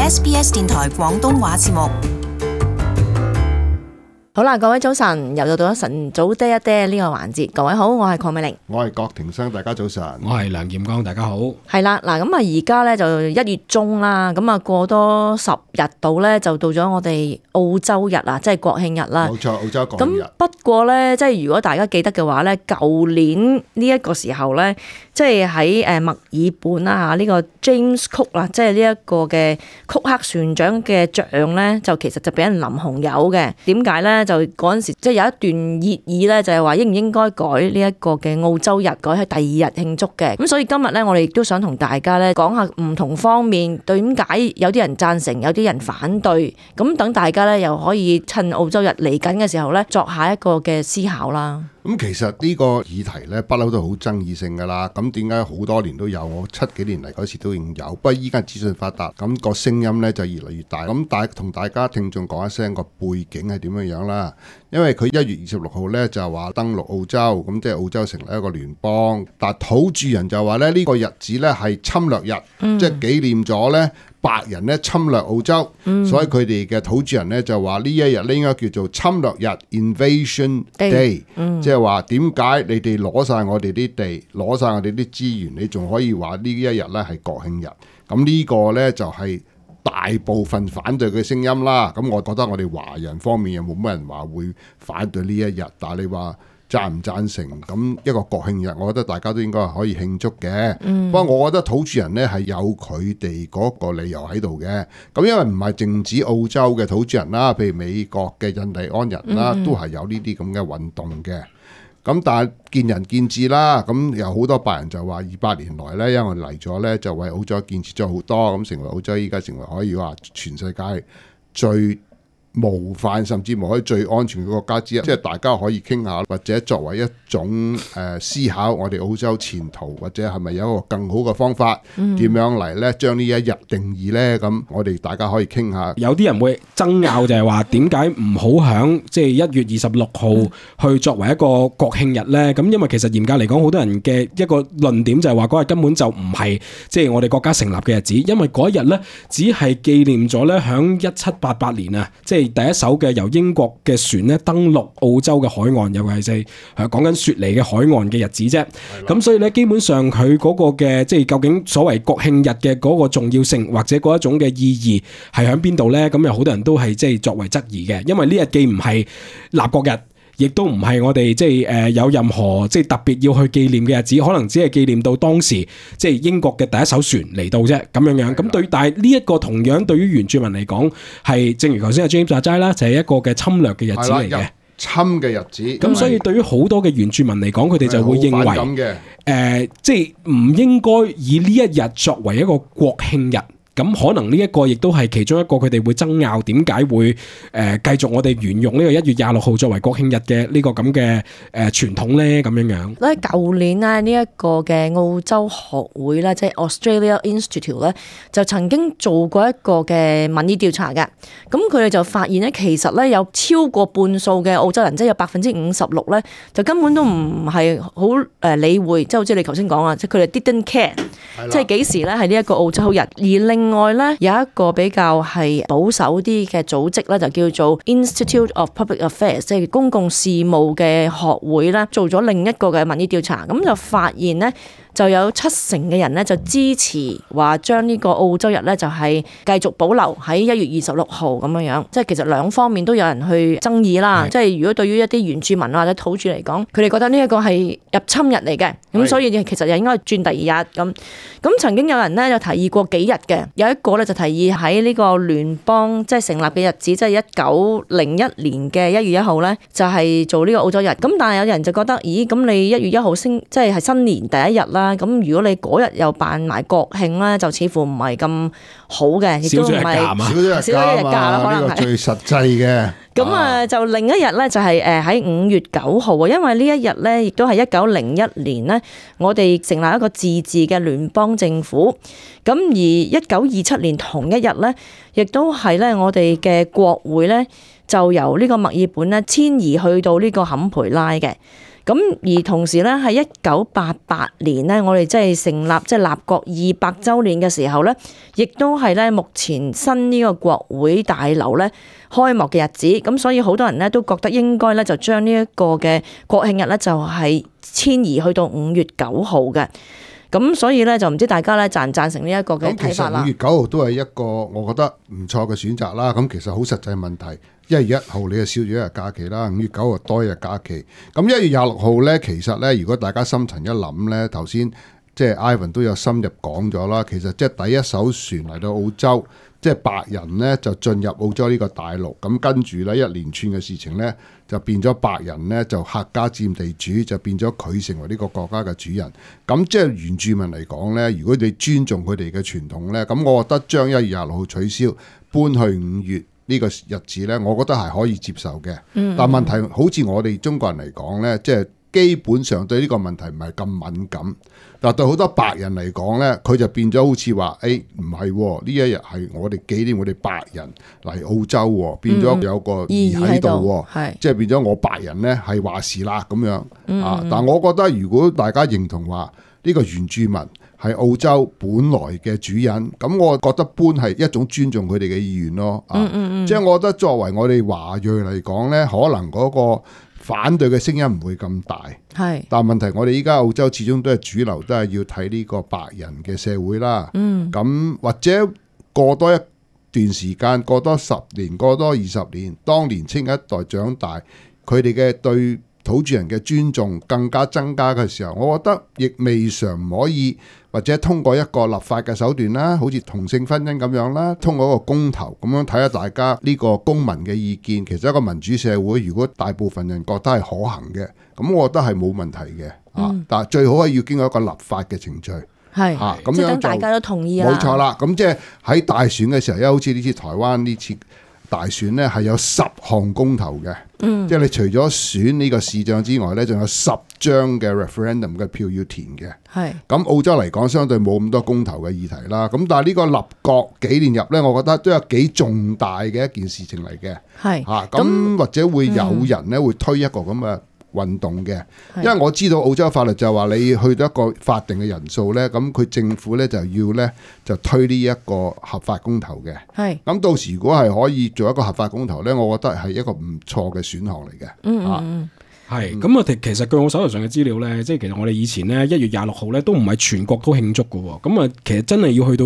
SBS 電台廣東話節目。好啦，各位早晨，又到咗晨早爹一爹呢個環節。各位好，我係鄺美玲，我係郭庭生，大家早晨。我係梁劍剛，大家好。係啦，嗱咁啊，而家咧就1月中啦，咁啊過多10日到咧，就到咗我哋澳洲日啊，即係國慶日啦。冇錯，澳洲國慶日。咁不過咧，即係如果大家記得嘅話咧，舊年呢一個時候咧，即係喺墨爾本啦嚇，呢個 James Cook 啦，即係呢一個嘅曲克船長嘅像咧，就其實就俾人淋紅油嘅。點解咧？就嗰陣時即係有一段熱議咧，就係話應唔應該改呢一個嘅澳洲日，改喺第2日慶祝嘅。咁所以今日咧，我哋亦都想同大家咧講下唔同方面，點解有啲人贊成，有啲人反對。咁等大家咧又可以趁澳洲日嚟緊嘅時候咧，作下一個嘅思考啦。咁其實呢個議題咧，不嬲都好爭議性㗎啦。咁點解好多年都有？我7幾年嚟嗰時都已經有。不過依家資訊發達，咁個聲音咧就越嚟越大。咁同大家聽眾講一聲個背景係點樣啦。因為佢1月26號咧就話登陸澳洲，咁即係澳洲成立一個聯邦。但土著人就話咧呢個日子咧係侵略日，即係紀念咗咧白人咧侵略澳洲，所以佢哋嘅土著人咧就話呢一日咧應該叫做侵略日 （Invasion Day），即係話點解你哋攞晒我哋啲地，攞晒我哋啲資源，你仲可以話呢一日咧係國慶日？咁呢個咧就係大部分反對嘅聲音啦。咁我覺得我哋華人方面又冇乜人話會反對呢一日，但係你話贊唔贊成咁一個國慶日，我覺得大家都應該係可以慶祝嘅。不過我覺得土著人呢係有佢哋嗰個理由喺度嘅。咁因為唔係淨止澳洲嘅土著人啦，譬如美國嘅印第安人啦，都係有呢啲咁嘅運動嘅。咁但係見仁見智啦。咁有好多白人就話200年來呢，因為我哋嚟咗呢，就為澳洲建設咗好多，咁成為澳洲依家成為可以話全世界最模範甚至乎可以最安全嘅國家之一，即係大家可以傾下，或者作為一種思考我哋澳洲前途，或者係咪有一個更好嘅方法，點樣嚟呢？將呢一日定義呢？咁我哋大家可以傾下。有啲人會爭拗就係話點解唔好響即係1月26號去作為一個國慶日呢？咁因為其實嚴格嚟講，好多人嘅一個論點就係話嗰日根本就唔係即係我哋國家成立嘅日子，因為嗰一日呢，只係紀念咗呢響1788年啊，即係第一艘嘅由英國嘅船咧登陸澳洲嘅海岸，尤其是係講緊雪梨嘅海岸嘅日子啫。咁所以咧，基本上佢嗰個嘅即係究竟所謂國慶日嘅嗰個重要性或者嗰一種嘅意義係喺邊度咧？咁有好多人都係即係作為質疑嘅，因為呢日既唔係立國日，亦都唔係我哋即係有任何即係特別要去紀念嘅日子，可能只係紀念到當時即係英國嘅第一艘船嚟到啫，咁樣樣。咁對，但係呢一個同樣對於原住民嚟講，係正如頭先阿 James 話齋啦，就係一個嘅侵略嘅日子嚟嘅，侵嘅日子。咁所以對於好多嘅原住民嚟講，佢哋就會認為即係唔應該以呢一日作為一個國慶日。咁可能呢一個亦都係其中一個佢哋會爭拗點解會繼續我哋沿用呢個1月26號作為國慶日嘅呢個咁嘅傳統咧，咁樣樣。咧舊年咧呢一個嘅澳洲學會咧，即係 Australia Institute 咧，就曾經做過一個嘅民意調查嘅。咁佢哋就發現咧，其實咧有超過半數嘅澳洲人，即係有56%咧，就根本都唔係好理會，即係好似你頭先講啊，即係佢哋 didn't care，即係幾時咧係呢一個澳洲日。而另外咧有一個比較係保守啲嘅組織咧，就叫做 Institute of Public Affairs， 即係公共事務嘅學會啦，做咗另一個嘅民意調查，咁就發現咧，就有70%嘅人咧就支持話將呢個澳洲日咧就係繼續保留喺1月26號咁樣樣，即係其實兩方面都有人去爭議啦。即係如果對於一啲原住民或者土著嚟講，佢哋覺得呢一個係入侵日嚟嘅，咁所以其實又應該轉第2日咁。咁曾經有人咧就提議過幾日嘅，有一個咧就提議喺呢個聯邦即係成立嘅日子，即係1901年嘅1月1號咧，就係做呢個澳洲日。咁但係有人就覺得，咦咁你1月1號即係新年第一日啦，咁如果你嗰日又辦埋國慶咧，就似乎唔係咁好嘅，亦都唔係少咗一日假啦，可能係最實際嘅。咁就另一日咧就係喺5月9號啊，因為呢一日咧亦都係1901年咧，我哋成立一個自治嘅聯邦政府。咁而1927年同一日咧，亦都係咧我哋嘅國會咧就由呢個墨爾本咧遷移去到呢個坎培拉嘅。咁而同時咧，喺1988年咧，我哋即係成立立國200週年嘅時候咧，亦都係咧目前新呢個國會大樓咧開幕嘅日子。咁所以好多人咧都覺得應該咧就將呢一個嘅國慶日咧就係遷移去到5月9號嘅。咁所以咧就唔知大家咧贊唔贊成呢一個嘅睇法啦。咁其實5月9號都係一個我覺得唔錯嘅選擇啦。咁其實好實際問題，1月1號你就少咗一日假期啦，5月9號多一日假期。咁1月26號咧，其實咧如果大家深層一諗咧，頭先即係 Ivan 都有深入講咗啦。其實即係第一艘船嚟到澳洲，即係白人咧就進入澳洲呢個大陸。咁跟住咧一連串嘅事情咧，就變咗白人咧就客家佔地主，就變咗佢成為呢個國家嘅主人。咁即係原住民嚟講咧，如果你尊重佢哋嘅傳統咧，咁我覺得將1月26號取消，搬去5月呢個日子咧，我覺得係可以接受嘅。但問題好似我哋中國人嚟講咧，即係基本上對呢個問題唔係咁敏感。但對好多白人嚟講咧，佢就變咗好似話，唔係呢一日係我哋紀念我哋白人嚟澳洲，變咗有個意義喺度，即係變咗我白人咧係話事啦咁樣。但我覺得如果大家認同話呢個原住民係澳洲本來嘅主人，咁我覺得搬係一種尊重佢哋嘅意願咯。即係我覺得作為我哋華裔嚟講咧，可能嗰個反對嘅聲音唔會咁大。但問題我哋依家澳洲始終都係主流，都係要睇呢個白人嘅社會啦。咁或者過多一段時間，過多10年，過多20年，當年青一代長大，佢哋嘅對土著人嘅尊重更加增加嘅時候，我覺得亦未嘗唔可以，或者通過一個立法嘅手段啦，好似同性婚姻咁樣啦，通過一個公投咁樣睇下大家呢個公民嘅意見。其實一個民主社會，如果大部分人覺得係可行嘅，咁我覺得係冇問題嘅。但係最好係要經過一個立法嘅程序。咁樣等大家都同意啊。冇錯啦。咁即係喺大選嘅時候，因為好似呢次台灣呢次大選呢係有10項公投嘅。即係你除咗選呢個市長之外呢，仲有10張嘅 referendum 嘅票要填嘅。咁澳洲嚟講，相對冇咁多公投嘅議題啦。咁但係呢個立國紀念日呢，我覺得都有幾重大嘅一件事情嚟嘅。咁或者會有人呢會推一個咁嘅運動嘅，因為我知道澳洲法律就話你去到一個法定嘅人數呢，咁佢政府呢就要呢就推呢一個合法公投嘅。咁到時如果係可以做一個合法公投呢，我覺得係一個唔錯嘅選項嚟嘅。咁其實據我手頭上嘅資料咧，即係其實我哋以前咧1月26號咧都唔係全國都慶祝嘅喎。咁其實真係要去到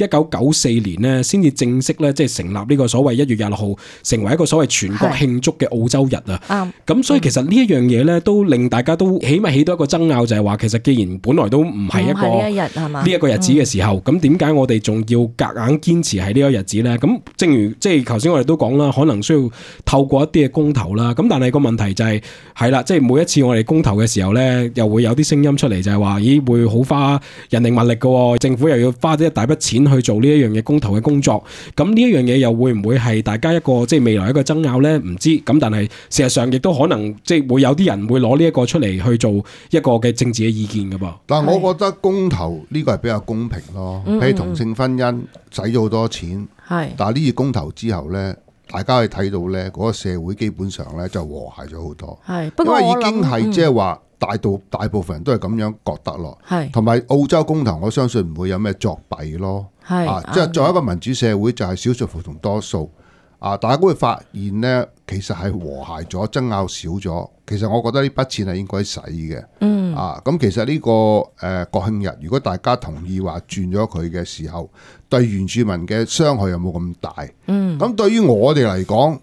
1994年咧，先至正式咧即係成立呢個所謂1月26號成為一個所謂全國慶祝嘅澳洲日啊。咁所以其實呢一樣嘢咧，都令大家都起碼起到一個爭拗，就係話其實既然本來都唔係一個呢一個日子嘅時候，咁點解我哋仲要夾硬堅持係呢個日子咧？咁正如即係頭先我哋都講啦，可能需要透過一啲嘅公投啦。咁但係個問題就係啦，即係每一次我哋公投嘅時候咧，又會有啲聲音出嚟，就係話，咦，會好花人力物力嘅，政府又要花一大筆錢去做呢一樣嘢公投嘅工作。咁呢一樣嘢又會唔會係大家一個即係未來一個爭拗咧？唔知。咁但係事實上亦都可能即係會有啲人會攞呢一個出嚟去做一個嘅政治嘅意見嘅噃。但係我覺得公投呢個係比較公平咯。譬如同性婚姻使咗好多錢，但係呢次公投之後咧，大家可以睇到咧，嗰個社會基本上咧就和諧咗好多。因為已經係即係話大部分人都係咁樣覺得咯。同埋澳洲公投，我相信唔會有咩作弊咯。即係作為一個民主社會，就係少數服從多數。大家都會發現咧，其實係和諧咗，爭拗少咗。其實我覺得呢筆錢係應該使嘅。咁其實呢個國慶日，如果大家同意話轉咗佢嘅時候，對原住民嘅傷害又冇咁大。咁對於我哋嚟講，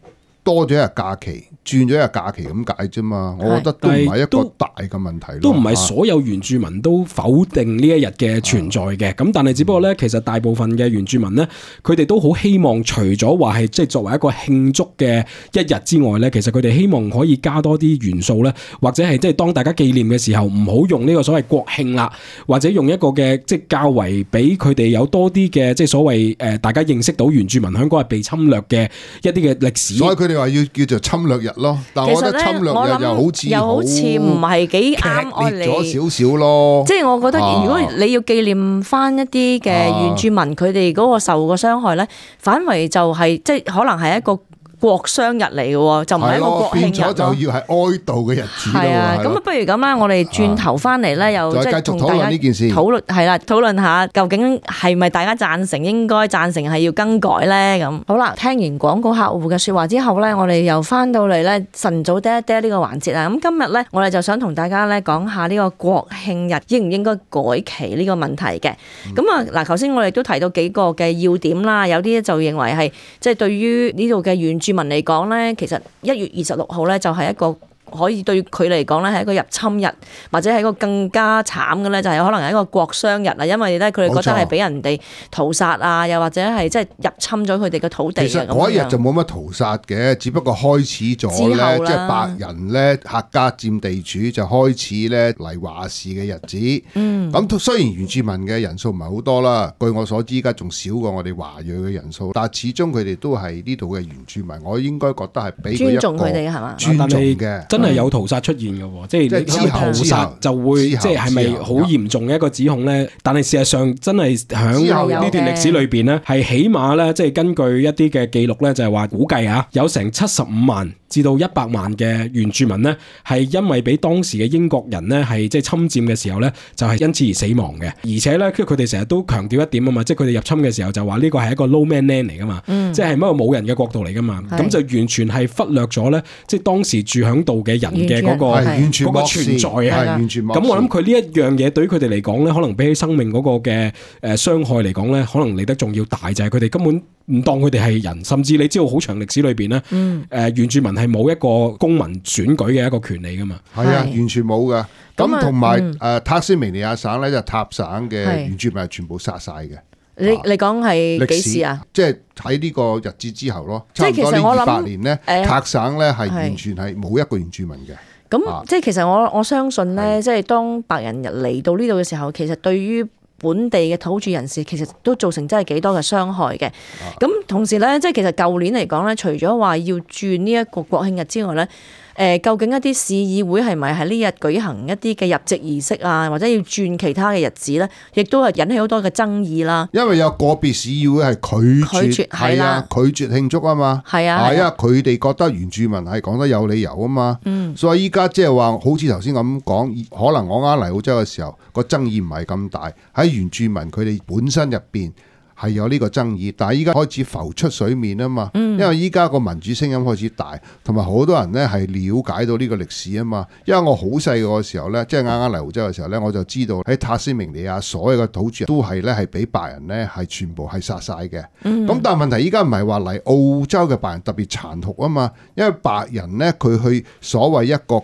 多咗一日假期，轉咗一日假期咁解啫嘛。我覺得都唔係一個大嘅問題咯。都唔係所有原住民都否定呢一日嘅存在嘅。咁但係只不過咧，其實大部分嘅原住民咧，佢哋都好希望除咗話係即係作為一個慶祝嘅一日之外咧，其實佢哋希望可以加多啲元素咧，或者係即係當大家紀念嘅時候，唔好用呢個所謂國慶啦，或者用一個嘅即係較為俾佢哋有多啲嘅即係所謂大家認識到原住民香港係被侵略嘅一啲嘅歷史。所以佢哋話要叫做侵略日咯。但係我覺得侵略日又好似唔係幾啱我哋。劇烈咗少少咯。即係我覺得，如果你要紀念翻一啲嘅原住民佢哋嗰個受個傷害咧，反為就係即係可能係一個國殤日嚟嘅喎，就唔係一個國慶變咗日就要係哀悼嘅日子咯。係啊，咁不如咁啦，我哋轉頭翻嚟咧，又即係再繼續討論呢件事，討論係啦，討論下究竟係咪大家贊成應該贊成係要更改咧？咁好啦，聽完廣告客戶嘅説話之後咧，我哋又翻到嚟咧晨早嗲一嗲呢個環節啊。咁今日咧，我哋就想同大家咧講下呢個國慶日應唔應該改期呢個問題嘅。咁啊嗱，頭先我哋都提到幾個嘅要點啦，有啲就認為係即係對於呢度嘅原住民嚟講咧，其實1月26號咧就係一個可以對佢嚟講咧係一個入侵日，或者係一個更加慘嘅咧，就係可能係一個國殤日啊，因為咧佢哋覺得係俾人哋屠殺啊，又或者係即係入侵咗佢哋嘅土地啊。其實嗰一日就冇乜屠殺嘅，只不過開始咗咧，即係白人咧客家佔地主就開始咧嚟話事嘅日子。咁雖然原住民嘅人數唔係好多啦，據我所知，而家仲少過我哋華裔嘅人數，但係始終佢哋都係呢度嘅原住民，我應該覺得係俾佢一個尊重佢哋係嘛？尊重嘅。真係有屠殺出現嘅喎，即係之後屠殺就會即係咪好嚴重嘅一個指控咧？但係事實上真係響呢段歷史裏邊咧，係起碼咧，即係根據一啲嘅記錄咧，就係話估計啊，有成75萬至到100萬嘅原住民咧，係因為俾當時嘅英國人咧係即係侵佔嘅時候咧，就係因此而死亡嘅。而且咧，佢哋成日都強調一點啊嘛，即係佢哋入侵嘅時候就話呢個係一個 no man land 嚟噶嘛，即係一個冇人嘅國度嚟噶嘛，咁就完全係忽略咗咧，即係當時住響度嘅人嘅嗰個存在啊。咁我諗佢呢一樣嘢對於佢哋嚟講咧，可能比起生命嗰個嘅傷害嚟講咧，可能嚟得仲要大，就係佢哋根本唔當佢哋係人，甚至你知道好長歷史裏邊咧，原住民係冇一個公民選舉嘅一個權利噶嘛。係啊，完全冇噶。咁同埋塔斯明尼亞省咧，就塔省嘅原住民係全部殺晒嘅。你講係幾時啊？即係喺呢個日子之後咯，即係其實我諗200年咧，塔省咧係完全係冇一個原住民嘅。咁即係其實我相信咧，即係當白人嚟到呢度嘅時候，其實對於本地嘅土著人士其實都造成真係幾多嘅傷害嘅。咁同時咧，即係其實舊年嚟講咧，除咗話要轉呢一個國慶日之外咧，究竟一啲市議會係咪喺呢日舉行一啲嘅入籍儀式啊，或者要轉其他嘅日子咧，亦都係引起好多嘅爭議啦。因為有個別市議會係拒絕係啊，拒絕慶祝啊嘛。係啊，佢哋覺得原住民係講得有理由啊嘛。所以依家即係話，好似頭先咁講，可能我啱嚟澳洲嘅時候個爭議唔係咁大，喺原住民佢哋本身入邊係有呢個爭議，但係依家開始浮出水面啊嘛。因為依家個民主聲音開始大，同埋好多人咧係了解到呢個歷史啊嘛。因為我好細個嘅時候咧，即係啱嚟澳洲嘅時候咧，我就知道喺塔斯明尼亞所有嘅土著都係咧係俾白人咧係全部係殺晒嘅。咁但係問題依家唔係話嚟澳洲嘅白人特別殘酷啊嘛，因為白人咧佢去所謂一個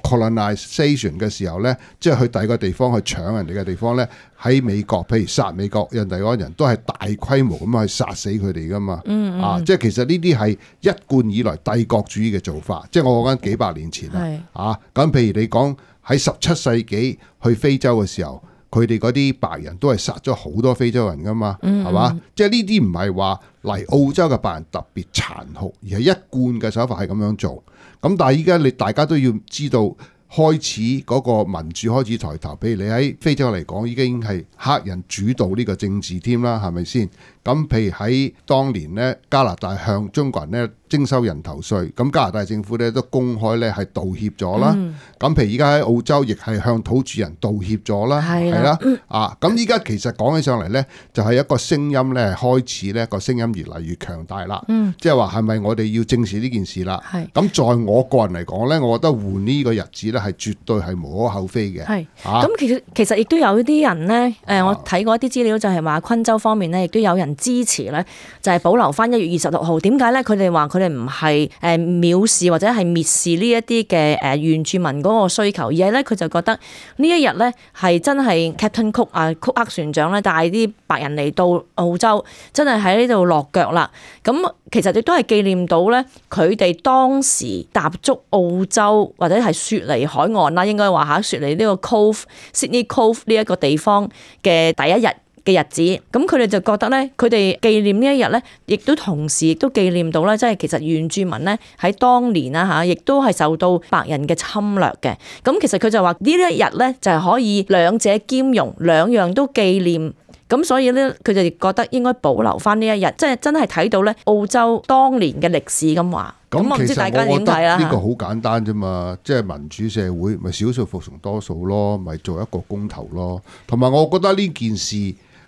colonization 嘅時候咧，即係去第二個地方去搶人哋嘅地方咧。喺美國，譬如殺美國人哋嗰人都係大規模咁去殺死佢哋噶嘛。即係其實呢啲係一貫以來帝國主義嘅做法，即係我講緊幾百年前啦。咁譬如你講喺17世紀去非洲嘅時候，佢哋嗰啲白人都係殺咗好多非洲人噶嘛，係嘛？即係呢啲唔係話嚟澳洲嘅白人特別殘酷，而係一貫嘅手法係咁樣做。咁但係依家你大家都要知道。開始嗰個民主開始抬頭，譬如你喺非洲嚟講，已經係黑人主導呢個政治添啦，係咪先？咁譬如喺當年咧，加拿大向中國人咧徵收人頭稅，咁加拿大政府咧都公開咧係道歉咗啦。咁譬如而家喺澳洲，亦係向土著人道歉咗啦，係啦。咁依家其實講起上嚟咧，就係一個聲音咧，開始咧個聲音越嚟越強大啦。即係話係咪我哋要正視呢件事啦？咁在我個人嚟講咧，我覺得換呢個日子咧係絕對係無可厚非嘅。咁其實亦都有啲人咧，我睇過一啲資料就係話昆州方面咧，亦都有人支持咧，就係保留翻1月26號。點解咧？佢哋話佢哋唔係藐視或者係蔑視呢一啲嘅原住民嗰個需求，而係咧佢就覺得呢一日咧係真係 Captain Cook 曲克船長咧帶啲白人嚟到澳洲，真係喺呢度落腳啦。咁其實亦都係紀念到咧佢哋當時踏足澳洲或者係雪梨海岸啦，應該話雪梨呢個 Sydney Cove 呢一個地方嘅第一日嘅日子，咁佢哋就覺得咧，佢哋紀念呢一日咧，亦都同時亦都紀念到咧，即係其實原住民咧喺當年啦嚇，亦都係受到白人嘅侵略嘅。咁其實佢就話呢一日咧就係可以兩者兼容，兩樣都紀念咁所以咧佢就覺得應該保留翻呢一日，即係真係睇到咧澳洲當年嘅歷史咁話。咁我唔知大家點睇啦。呢個好簡單啫嘛，即係民主社會咪少數服從多數咯，咪做一個公投咯。同埋我覺得呢件事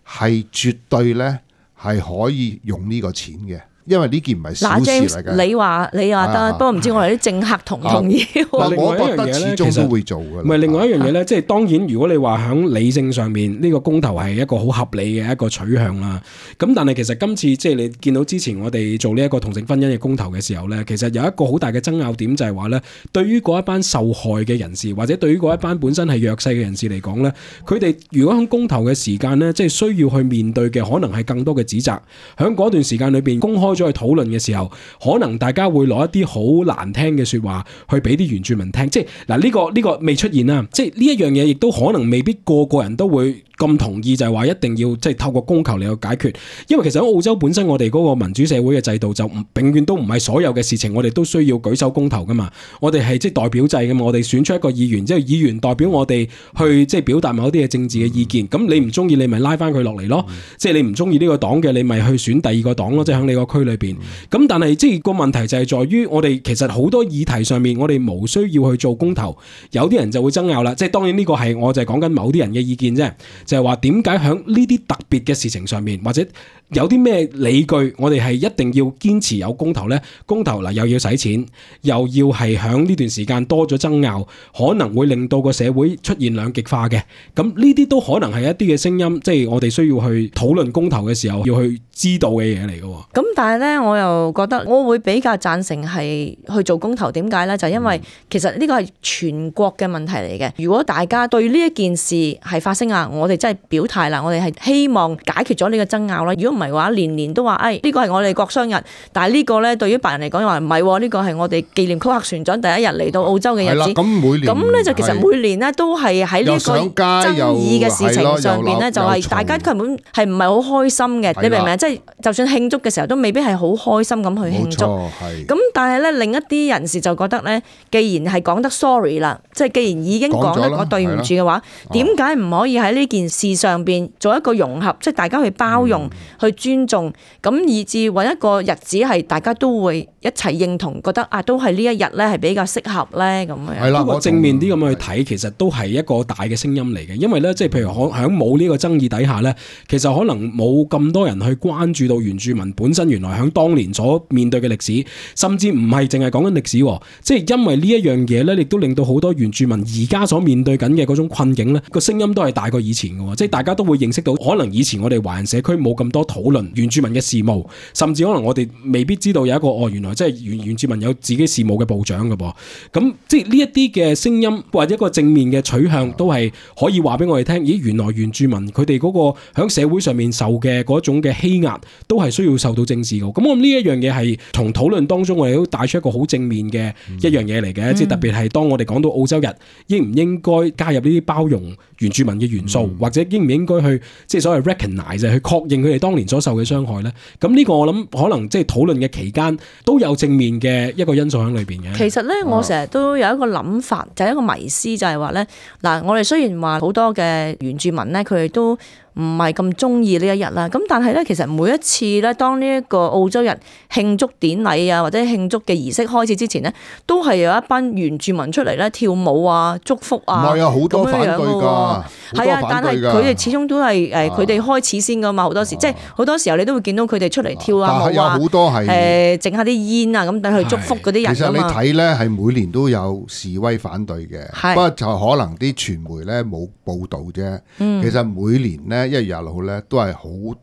係絕對咧係可以用呢個錢嘅。因為呢件唔係小事嚟嘅。你話得，不過唔知我哋啲政客同唔同意？我覺得始終都會做嘅。唔係另外一樣嘢咧，即係當然，如果你話喺理性上面呢個公投係一個好合理嘅一個取向啦。咁但係其實今次即係你見到之前我哋做呢一個同性婚姻嘅公投嘅時候咧，其實有一個好大嘅爭拗點就係話咧，對於嗰一班受害嘅人士或者對於嗰一班本身係弱勢嘅人士嚟講咧，佢哋如果喺公投嘅時間咧，即係需要去面對嘅可能係更多嘅指責。喺嗰段時間裏邊公開咗去討論嘅時候，可能大家會攞一啲好難聽嘅說話去俾啲原住民聽，即係嗱呢個未出現啦，即係呢一樣嘢亦都可能未必個個人都會咁同意，就係話一定要即係透過公投嚟去解決，因為其實喺澳洲本身我哋嗰個民主社會嘅制度就永遠都唔係所有嘅事情我哋都需要舉手公投噶嘛，我哋係即係代表制噶嘛，我哋選出一個議員，即係議員代表我哋去即係表達某啲嘅政治嘅意見，咁你唔中意你咪拉翻佢落嚟咯，即係你唔中意呢個黨嘅你咪去選第二個黨咯，即係喺你個區裏邊。咁但係即係個問題就係在於我哋其實好多議題上面我哋冇需要去做公投，有啲人就會爭拗啦，即係當然呢個係我就係講緊某啲人嘅意見啫，就係話點解喺呢啲特別嘅事情上面或者有啲咩理據我哋係一定要堅持有公投呢？公投嗱又要使錢，又要係喺呢段時間多咗爭拗，可能會令到個社會出現兩極化嘅，咁呢啲都可能係一啲嘅聲音，即係我哋需要去討論公投嘅時候要去知道嘅嘢嚟嘅。咁但係咧，我又覺得我會比較贊成係去做公投。點解咧？就因為其實呢個係全國嘅問題嚟嘅。如果大家對呢一件事係發聲啊，我哋真係表態啦，我哋係希望解決咗呢個爭拗啦。如果唔係嘅話，年年都話呢個係我哋國殤日，但係呢個咧對於白人嚟講又話唔係，呢個係我哋紀念曲克船長第一日嚟到澳洲嘅日子。咁每年咁咧就其實每年咧都係喺呢個爭議嘅事情上邊咧，就係大家根本係唔係好開心嘅。你明唔明？即係就算慶祝嘅時候，都未必係好開心咁去慶祝。咁但係咧，另一啲人士就覺得咧，既然係講得 sorry 啦，即係既然已經講得我對唔住嘅話，點解唔可以喺呢件事上邊做一個融合，即係大家去包容、去尊重，咁以至揾一個日子係大家都會一齊認同，覺得都係呢一日咧係比較適合咧咁樣。係啦，不過正面啲咁去睇，其實都係一個大嘅聲音嚟嘅，因為咧，即係譬如喺冇呢個爭議底下咧，其實可能冇咁多人去關注到原住民本身原來喺當年所面對嘅歷史，甚至唔係淨係講緊歷史，即係因為呢一樣嘢咧，亦都令到好多原住民而家所面對緊嘅嗰種困境咧，個聲音都係大過以前嘅，即係大家都會認識到，可能以前我哋華人社區冇咁多討論原住民嘅事務，甚至可能我哋未必知道有一個原來即係原住民有自己事務嘅部長嘅噃，咁即係呢一啲嘅聲音或者一個正面嘅取向，都係可以話俾我哋聽，咦，原來原住民佢哋嗰個喺社會上面受嘅嗰種嘅欺壓，都係需要受到正視嘅。咁我諗呢一樣嘢係從討論當中，我哋都帶出一個好正面嘅一樣嘢嚟嘅，即係特別係當我哋講到澳洲日，應唔應該加入呢啲包容原住民嘅元素，或者應唔應該去即係所謂 recognize 去確認佢哋當年所受嘅傷害咧？咁呢個我諗可能即係討論嘅期間都有正面嘅一個因素喺裏邊嘅。其實咧，我成日都有一個諗法，就係一個迷思，就係話咧，嗱，我哋雖然話好多嘅原住民咧，佢哋都唔係咁中意呢一日啦，咁但係咧，其實每一次咧，當呢一個澳洲日慶祝典禮啊，或者慶祝嘅儀式開始之前咧，都係有一班原住民出嚟咧跳舞啊、祝福啊，唔係啊，好多反對㗎，係啊，但係佢哋始終都係佢哋開始先㗎嘛，好多時即係好多時候你都會見到佢哋出嚟跳啊舞啊，好多係整下啲煙啊，咁等佢祝福嗰啲人。其實你睇咧係每年都有示威反對嘅，不過就可能啲傳媒咧冇報導啫。其實每年咧1月26號咧都係好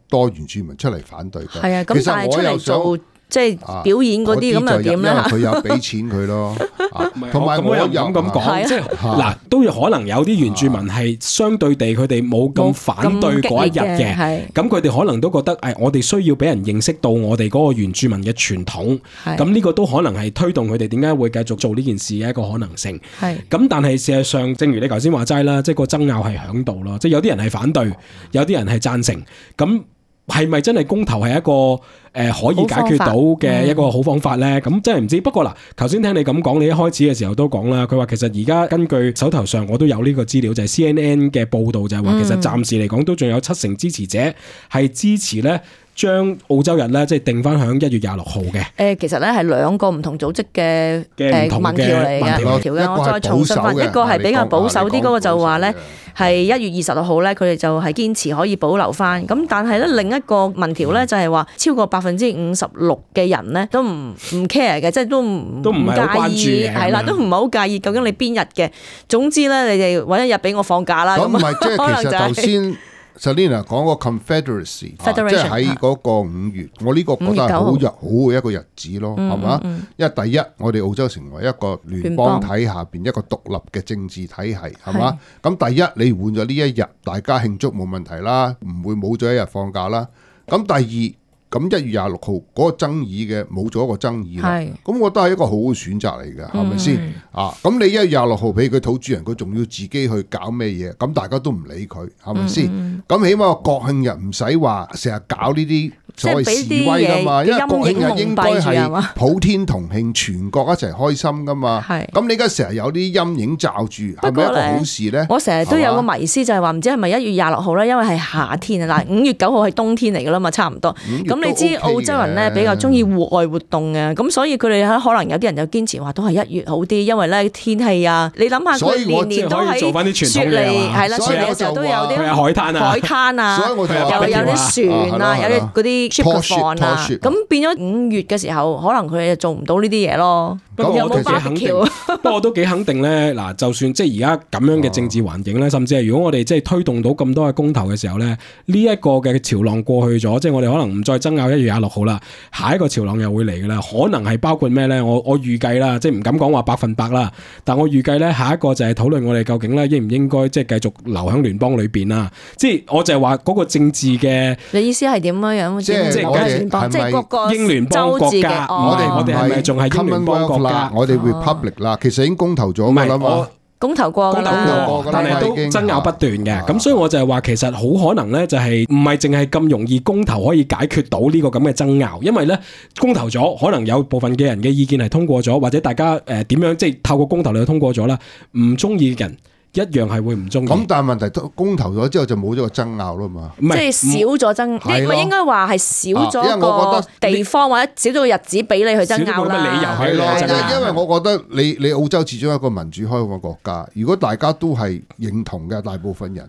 多原住民出嚟反對嘅。係啊，咁但係出嚟做即係表演嗰啲咁又點咧？佢有俾錢佢咯，同埋我又咁講，即係嗱都有可能有啲原住民係相對地佢哋冇咁反對嗰一日嘅，咁佢哋可能都覺得我哋需要俾人認識到我哋嗰個原住民嘅傳統，咁呢個都可能係推動佢哋點解會繼續做呢件事嘅一個可能性。咁但係事實上，正如你頭先話齋啦，即係個爭拗係響度咯，即係有啲人係反對，有啲人係贊成，咁係咪真係公投係一個可以解決到嘅一個好方法咧？咁真係唔知。不過嗱，頭先聽你咁講，你一開始嘅時候都講啦，佢話其實而家根據手頭上我都有呢個資料，就係 CNN 嘅報導就係話，其實暫時嚟講都仲有70%支持者係支持咧，將澳洲日咧即係定翻響1月26號嘅。其實咧係2個唔同組織嘅民調嚟嘅，我再重申翻，一個係比較保守啲，嗰個就話咧係1月26號咧，佢哋就係堅持可以保留翻。咁但係咧另一個民調咧就係話超過56%嘅人咧都唔 care 嘅，即係都唔介意，係啦，都唔係好介意究竟你邊日嘅。總之咧，你哋揾一日俾我放假啦。咁唔係即係其實頭先Selena 講個 Confederacy， 即係喺嗰個5月，我呢個覺得係好嘅一個日子咯，係嘛？因為第一，我哋澳洲成為一個聯邦體下邊一個獨立嘅政治體系，係嘛？咁第一，你換咗呢一日，大家慶祝冇問題啦，唔會冇咗一日放假啦。咁第二，咁1月26號嗰個爭議嘅冇咗一個爭議啦，咁我覺得係一個好嘅選擇嚟嘅，係咪先？咁你1月26號俾佢土著人，佢仲要自己去搞咩嘢？咁大家都唔理佢，係咪先？咁起碼國慶日唔使話成日搞呢啲所謂示威噶嘛，因為國慶日應該係普天同慶，全國一齊開心噶嘛。咁你而家成日有啲陰影罩住，係咪一個好事咧？我成日都有個迷思就係話，唔知係咪1月26號咧？因為係夏天啊，嗱5月9號係冬天嚟噶啦嘛，差唔多。咁你知澳洲人咧比較中意戶外活動嘅，咁所以佢哋可能有啲人就堅持話都係1月好啲，因為咧天氣啊，你諗下佢年年都喺雪梨，係啦，雪梨嘅時候都有啲海灘啊，又有啲船啊，有啲嗰啲 ship 嘅放啊，咁變咗5月嘅時候，可能佢哋就做唔到呢啲嘢咯。不過我都幾肯定，不過我都幾肯定咧。嗱，就算即係而家咁樣嘅政治環境咧，甚至係如果我哋即係推動到咁多嘅公投嘅時候咧，呢一個嘅潮浪過去咗，即係我哋可能唔再爭拗1月26號啦，下一個潮浪又會嚟㗎啦。可能係包括咩咧？我預計啦，即係唔敢講話100%啦，但我預計咧下一個就係討論我哋究竟咧應唔應該即係繼續留喺聯邦裏邊啦。即係我就係話嗰個政治嘅，你意思係點樣？即係各個英聯邦國家，我哋係咪仲係英聯邦國家？我哋 Republic 啦，其實已經公投咗㗎啦嘛。公投過，但係都爭拗不斷嘅。咁所以我就係話，其實好可能咧，就係唔係淨係咁容易公投可以解決到呢個咁嘅爭拗，因為咧公投咗，可能有部分嘅人嘅意見係通過咗，或者大家點樣即係透過公投嚟通過咗啦，唔中意嘅人一樣係會唔中意。咁但係問題公投咗之後就冇咗個爭拗啦嘛，即係少咗爭，應該話係少咗個地方或者少咗個日子俾你去爭拗啦。少咗理由係咯，因為我覺得你澳洲始終係一個民主開放嘅國家，如果大家都係認同嘅大部分人，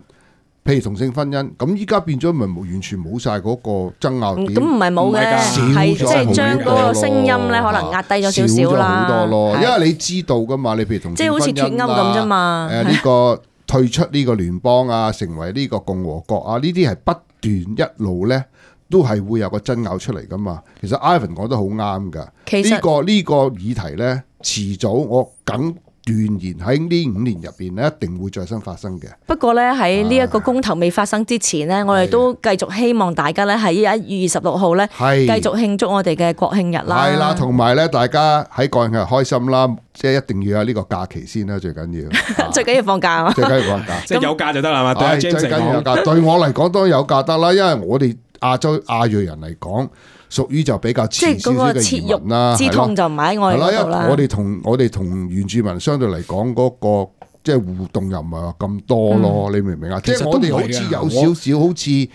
譬如同性婚姻，咁依家變咗咪完全冇晒嗰個爭拗點。咁唔係冇嘅，係即係將嗰個聲音咧，可能壓低咗少少啦。少咗好多咯，因為你知道噶嘛，你譬如同性婚姻即係好似脫歐咁啫嘛。呢個退出呢個聯邦啊，成為呢個共和國啊，呢啲係不斷一路咧都係會有個爭拗出嚟噶嘛。其實 Ivan 講得好啱噶，呢個議題咧，遲早我梗斷言喺呢5年入邊咧，一定會再生發生嘅。不過咧喺呢一個公投未發生之前咧，我哋都繼續希望大家咧喺1月26號咧，繼續慶祝我哋嘅國慶日啦。係啦，同埋咧，大家喺國慶日開心啦，即係一定要有呢個假期先啦，最緊要。最緊要放假啊！最緊要放假，即係有假就得啦嘛。最緊要有假，對我嚟講都有假得啦，因為我哋亞裔人嚟講，屬於就比較遲少少嘅移民啦，之痛就唔喺我哋嗰度啦。我哋同原住民相對嚟講嗰個即係互動又唔係話咁多咯，你明唔明啊？即係我哋好似有少少好似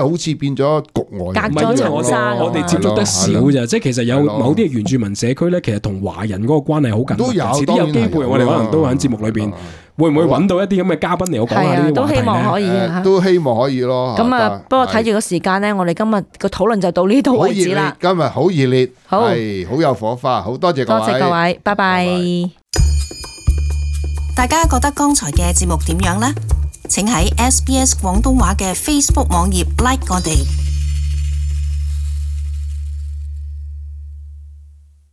好似變咗局外，隔咗層紗。我哋接觸得少咋，即係其實有某啲原住民社區咧，其實同華人嗰個關係好緊密。都有，遲啲有機會，我哋可能都喺節目裏邊。會唔會揾到一啲咁嘅嘉賓嚟我講下呢啲話題咧？都希望可以，都希望可以咯。咁啊，不過睇住個時間咧，我哋今日個討論就到呢度為止啦。今日好熱烈，係好有火花，好多謝各位。多謝各位，拜拜。大家覺得剛才嘅節目點樣呢？請喺SBS 廣東話嘅 Facebook 網頁 like 我哋。